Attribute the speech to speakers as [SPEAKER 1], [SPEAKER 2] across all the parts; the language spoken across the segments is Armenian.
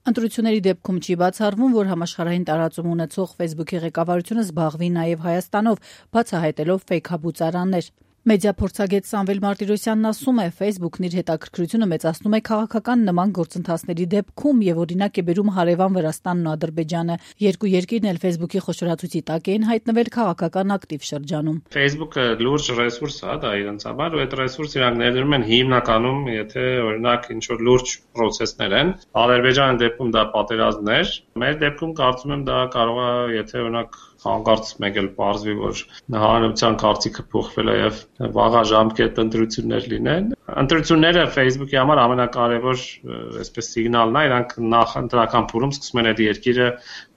[SPEAKER 1] Ընտրությունների դեպքում չի բացառվում, որ համաշխարհային տարածում ունեցող Facebook-ի ղեկավարությունը զբաղվի նաև Հայաստանով, բացահայտելով ֆեյքաբուծարաններ։ Մեդիափորձագետ Սամվել Մարտիրոսյանն ասում է, Facebook-ն իր հետաքրքրությունը մեծացնում է քաղաքական նման գործընթացների դեպքում եւ օրինակ է բերում հարևան Վրաստանն ու Ադրբեջանը։ Երկու երկիրն էլ Facebook-ի խոշորացույցի տակ էին հայտնվել քաղաքական ակտիվ շրջանում։
[SPEAKER 2] Facebook-ը լուրջ ռեսուրս է, դա իրենց համար, ու այդ ռեսուրսը իրանք ներդրում են հիմնականում, եթե օրինակ ինչ-որ լուրջ պրոցեսներ են։ Ադրբեջանի դեպքում դա պատերազմներ, մեր դեպքում կարծում եմ դա կարող է, եթե օրինակ հանկարծ մեկ էլ պարզվի, որ հանրության կարծիքը փոխվել է եւ վաղաժամկետ ընտրություններ լինեն։ Ընտրությունները Facebook-ի համար ամենակարևոր այսպես սիգնալն է, իրանք նախ ընտրական փուլում սկսում են այդ երկիրը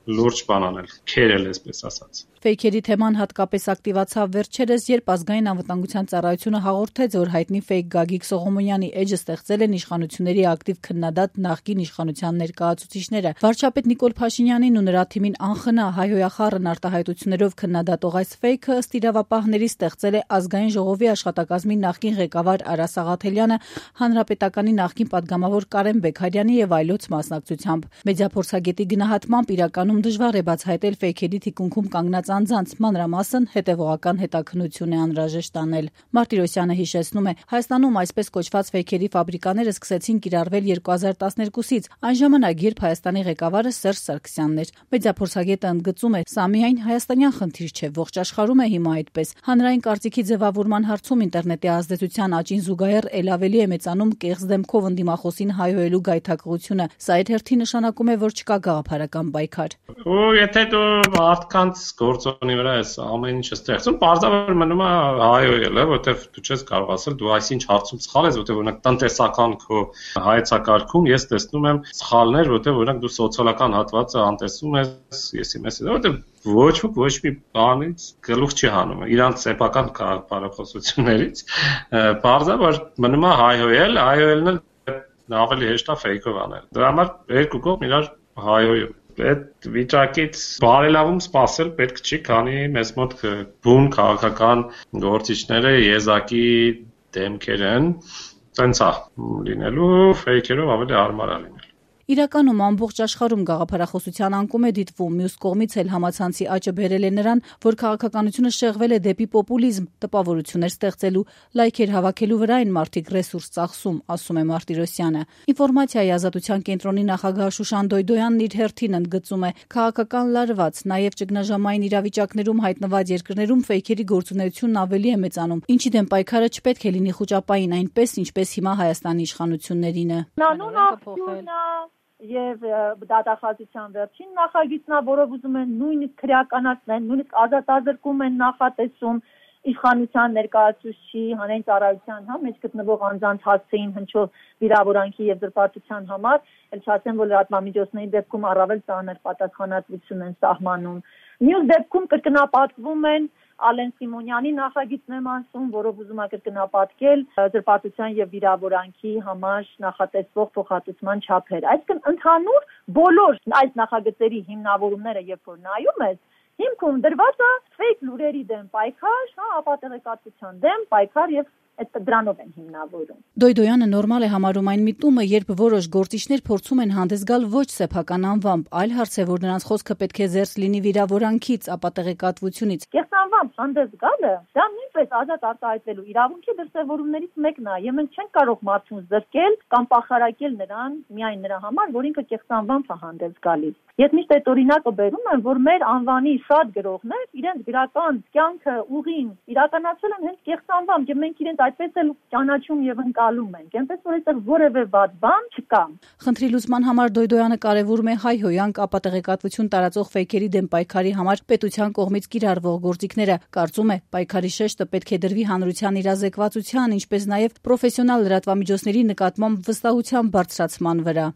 [SPEAKER 2] լուրջ բան անել, քերել, այսպես ասած։
[SPEAKER 1] Ֆեյքերի թեման հատկապես ակտիվացավ վերջերս, երբ ազգային անվտանգության ծառայությունը հաղորդեց, որ հայտնի ֆեյք Գագիկ Սողոմոնյանի էջը ստեղծել են իշխանությունների ակտիվ քննադատ նախկին իշխանության ներկայացուցիչները։ Վարչապետ Նիկոլ Փաշինյանին ու նրա թիմին անխնա հայհոյախառն արտահայտություններով քննադատող այս ֆեյքը ըստ իրավապահների ստեղծել է ազգային ժողովի աշխատակազմի նախկին ղեկավար Արա Սաղաթելյանը, հանրապետականի նախկին падգամավոր Կարեն Բեգարյանի եւ այլոց մասնակցությամբ։ Մեդիափորձագետի գնահատմամբ իրականում դժվար է բացահայտել ֆեյքերի թիկունքում կանգնած անձանց, մանրամասն հետևողական հետաքննություն է անհրաժեշտ անել։ Մարտիրոսյանը հիշեցնում է, Հայաստանում այսպես կոչված ֆեյքերի ֆաբրիկաները սկսեցին կիրառվել 2012-ից, այն ժամանակ, երբ Հայաստանի ղեկավարը Սերժ Սարգսյանն էր։ Մեդիափորձագետը ընդգծում է, սա միայն հայաստանյան խնդիր չէ, ողջ աշխարհում է հիմա այդպես։ Հանրային կարծիքի ձևավորման հարցում ինտերնետի ազդեցության աճին զուգահեռ ել ավելի է մեծանում կեղծ դեմքով ընդդիմախոսին հայհոյելու գայթակղությունը։ Սա իր հերթին նշանակում է, որ չկա գաղափարական պայքար։
[SPEAKER 2] Ու եթե դու մարդկանց գործոնի վրա ես ամեն ինչը ստեղծում, պարզաբար մնում է հայհոյելը, որովհետև դու չես կարող ասել դու այսինչ հարցում սխալ ես, որովհետև օրինակ տնտեսական քո հայեցակարգում ես տեսնում եմ սխալներ, որովհետև օրինակ դու սոցիալական հատվածը անտեսում ես, որովհետև ոչ ոք ոչ մի բանից գլուխ չի հանում, իրանց սեփական քաղաքապարախոսություններից, պարզաբար մնում է հայհոյելն էլ ավելի հեշտ է ֆեյքով անել։ Դրա համար երկու կողմ իրար հայհոյում։ Այդ վիճակից բարելավում սպասել պետք չի, քանի մեզ մոտ բուն քաղաքական գործիչները եզակի դեմքեր են, տենց է լինելու, ֆեյքերով ավելի հարմար է լինել։
[SPEAKER 1] Իրականում ամբողջ աշխարհում գաղափարախոսության անկում է դիտվում, մյուս կողմից էլ համացանցի աճը բերել է նրան, որ քաղաքականությունը շեղվել է դեպի պոպուլիզմ, տպավորություններ ստեղծելու, լայքեր հավաքելու վրա են մարդիկ ռեսուրս ծախսում, ասում է Մարտիրոսյանը։ Ինֆորմացիայի ազատության կենտրոնի նախագահ Շուշան Դոյդոյանն իր հերթին ընդգծում է, քաղաքական լարված, նաև ճգնաժամային իրավիճակներում հայտնված երկրներում ֆեյքերի գործունեությունն ավելի է մեծանում, ինչի դեմ պայքարը չպետք է լինի խուճապային, այնպես ինչպես հիմա Հայաստանի իշխանություններին է։
[SPEAKER 3] Եվ դատախազության վերջին նախագիծն է, որով ուզում են նույնիսկ քրեականացնել, նույնիսկ ազատազրկում են նախատեսում իշխանության ներկայացուցիչի հանրային ծառայության մեջ գտնվող անձանց հասցեին հնչող վիրավորանքի եւ զրպարտության համար, ել չասեմ, որ լրատվամիջոցների դեպքում առավել ծանր պատասխանատվություն են սահմանում։ Մյուս դեպքում կրկնապատկվում են Ալեն Սիմոնյանի նախագիծն եմ ասում, որով ուզում է կրկնապատկել զրպարտության եւ վիրավորանքի համար նախատեսվող փոխհատուցման չափեր։ Այսինքն ընդհանուր բոլոր այս նախագծերի հիմնավորումները, երբ որ նայում ես, հիմքում դրված է ֆեյք լուրերի դեմ պայքար, ապատեղեկատվության դեմ պայքար եւ դրանով են հիմնավորում։
[SPEAKER 1] Դոյդոյանը նորմալ է համարում այն միտումը, երբ որոշ գործիչներ փորձում են հանդես գալ ոչ սեփական անվամբ, այլ հարց է, որ նրանց խոսքը պետք է զերծ լինի վիրավորանքից, ապատեղեկատվությունից։
[SPEAKER 3] Կեղծ անվամբ հանդես գալը, դա նույնպես ազատ արտահայտվելու իրավունքի դրսևորումներից մեկն է, եւ մենք չենք կարող մարդուն զրկել կամ պախարակել նրան միայն նրա համար, որ ինքը կեղծ անվամբ է հանդես գալիս։ Ես միշտ այդ օրինակը բերում եմ, որ մեր անվանի շատ գրողներ իրենց գրական կյանքը ուղին իրականացել են հենց կեղծ անվամբ, եւ մենք իրենց այդպես էլ ճանաչում եւ ընկալում ենք, այնպես որ այդտեղ որևէ վատ բան չկա։
[SPEAKER 1] Խնդրի լուծման համար Դոյդոյանը կարևորում է հայհոյանք ապատեղեկատվություն տարածող ֆեյքերի դեմ պայքարի համար պետության կողմից կիրառվող գործիքները։ Կարծում է, պայքարի շեշտը պետք է դրվի հանրության իրազեկվածության, ինչպես նաեւ պրոֆեսիոնալ լրատվամիջոցների նկատմամբ վստահության բարձրացման վրա։